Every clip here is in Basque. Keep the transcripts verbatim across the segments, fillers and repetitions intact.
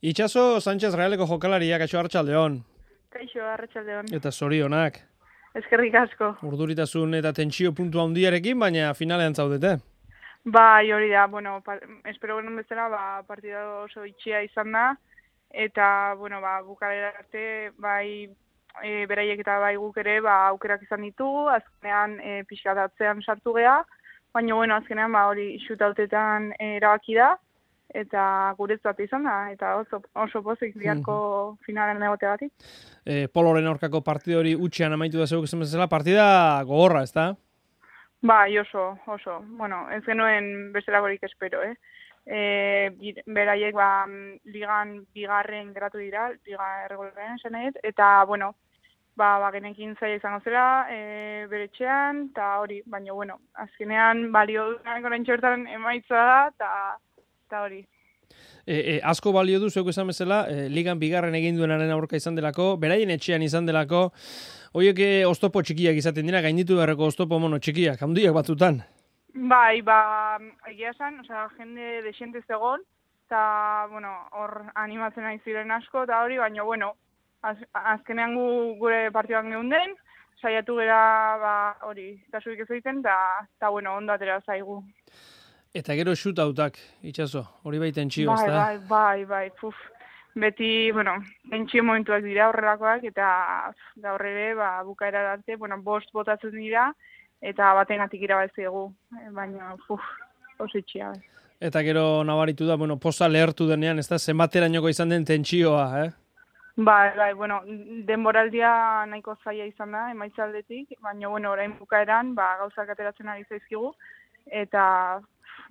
Itxaso Sánchez Realeko jokalaria, kaixo Arratsaldeon. Kaixo Arratsaldeon. Eta zorionak. Eskerrik asko. Urduritasun eta tentsio puntu handiarekin, baina finalean zaudete. Bai, hori da, bueno, pa, espero genuen bezala, ba, partida oso itxia izan da, eta, bueno, ba, bukaera arte, bai, e, beraiek eta bai guk ere, ba, aukerak izan ditugu, azkenean e, pixkatatzean sartu gea, baina, bueno, azkenean, ba, hori shootoutetan e, erabaki da, eta guretzat izan da, eta oso, oso pozik biharko mm-hmm. finalen egoteagatik. E, Poloren aurkako partida hori utxean amaitu da zeuk esan bezala, partida gogorra, ez da? Bai, oso, oso. Bueno, ez genuen bestelagorik espero, eh? E, beraiek, ba, ligan bigarren geratu dira, liga erregularren esan eta, bueno, ba, ba genekin zaila izango zela, e, bere etxean, eta hori, baina, bueno, azkenean balio duenak orain txortan emaitza da, eta eta hori. E, e, asko balio du, zeuk esan bezala, e, ligan bigarren egin duenaren aurka izan delako, beraien etxean izan delako, horiek oztopo txikiak izaten dira, gainditu beharreko oztopo mono txikiak, handiak batzutan. Bai, ba, egia esan, osea, jende desiente zegoen, eta, bueno, hor animatzen nahi ziren asko, eta hori, baina, bueno, az, azkenean gu, gure partiduan geunden, saiatu gera, ba, hori, kasurik ez egiten, eta, bueno, ondo atera zaigu. Eta gero shootoutak, Itxaso, hori bai tentsio, ez da? Bai, bai, bai, puf. Beti, bueno, tentsio momentuak dira horrelakoak, eta gaur ere, ba, bukaera arte, bueno, bost botatzen dira, eta bategatik irabaziegu, baina, puf, oso itxia. Eta gero nabaritu da, bueno, poza lehertu denean, ez da, zenbaterainoko izan den tentsioa, eh? Bai, bai, bueno, denboraldia nahiko zaila izan da, emaitzaldetik, baina, bueno, orain bukaeran, ba, gauzak ateratzen ari zaizkigu, eta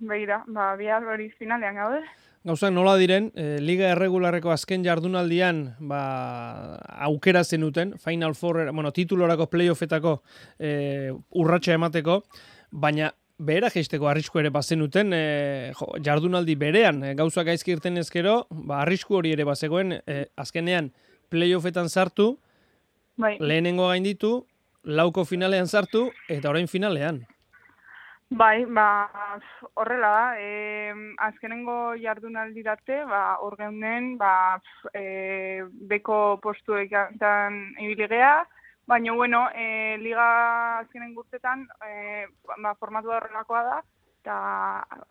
begira, ba, bihar hori finalean gaude. Gauzak nola diren, e, Liga Erregularreko azken jardunaldian ba, aukera zenuten, Final Four, bueno, titulorako playoffetako e, urratsa emateko, baina behera jeisteko arrisku ere bazenuten, e, jo, jardunaldi berean, e, gauzak gaizki irten ezkero, ba, arrisku hori ere bazegoen, e, azkenean playoffetan sartu, bai. Lehenengo gainditu, lauko finalean sartu, eta orain finalean. Bai, ba, horrela da, e, azkenengo jardunaldi date, ba, hor geunden, ba, e, beko postuetan ibili gea, baina, bueno, e, liga azkenen gurtetan, e, ba, formatu da horrelakoa da, eta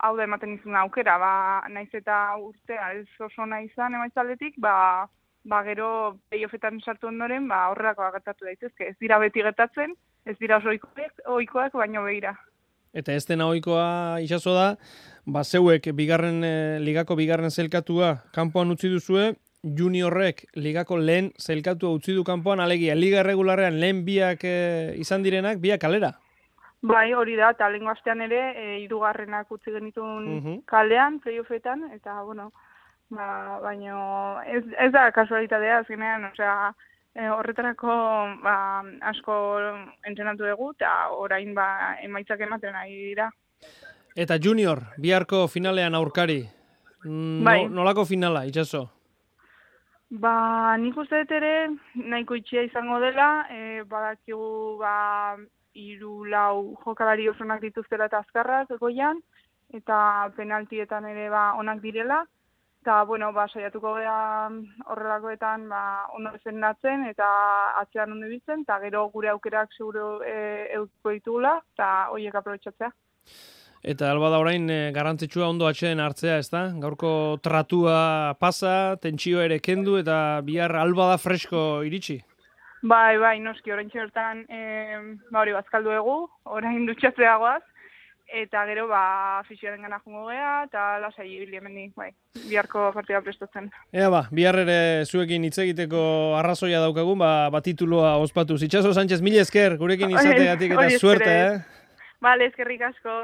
hau da ematen izan aukera, ba, naiz eta urtea ez oso nahi izan emaitzaldetik, ba, ba, gero playoffetan sartu ondoren, ba, horrelakoa gertatu daitezke. Ez dira beti gertatzen, ez dira oso ohikoak, ohikoak, baina begira. Eta ez dena ohikoa Itxaso da, ba zeuek bigarren e, ligako bigarren zelkatua kanpoan utzi duzue, juniorrek ligako lehen zelkatua utzi du kanpoan, alegia liga erregularrean lehen biak e, izan direnak, biak kalera. Bai, hori da, eta lehengo astean ere, e, hirugarrenak utzi genitun uh-huh. kalean, playoffetan, eta, bueno, ba, baino, ez, ez da kasualitatea, azkenean, osea, E, horretarako ba, asko entrenatu dugu eta orain ba, emaitzak ematen ari dira. Eta junior, biharko finalean aurkari. No, bai. Nolako finala, Itxaso? Ba, nik uste dut ere nahiko itxia izango dela, e, badakigu ba, hiru lau jokalari osonak dituztela eta azkarrak goian, eta penaltietan ere ba, onak direla. Eta, bueno, ba, saiatuko gara horrelakoetan ba, ondo zendatzen eta atzean ondo bitzen, eta gero gure aukerak seguro e, eusko ditugula, eta horiek aprobetxatzea. Eta alba da orain e, garrantzitsua ondo atxeen hartzea, ez da? Gaurko tratua pasa, tentsio ere kendu, eta bihar alba da fresko iritsi? Bai, bai, noski, orain txertan e, ba, hori bazkaldu egu, orain dutxatzea goaz. Eta gero, ba, fisioaren gana jungo gea, eta lasai ibili hemendik, bai, biharko partida prestatzen. Ea ba, bihar ere zuekin hitz egiteko arrazoia daukagun, ba, ba tituloa ospatu. Itxaso Sánchez, mila esker, gurekin izategatik eta suerte, eh? Bale, eskerrik asko.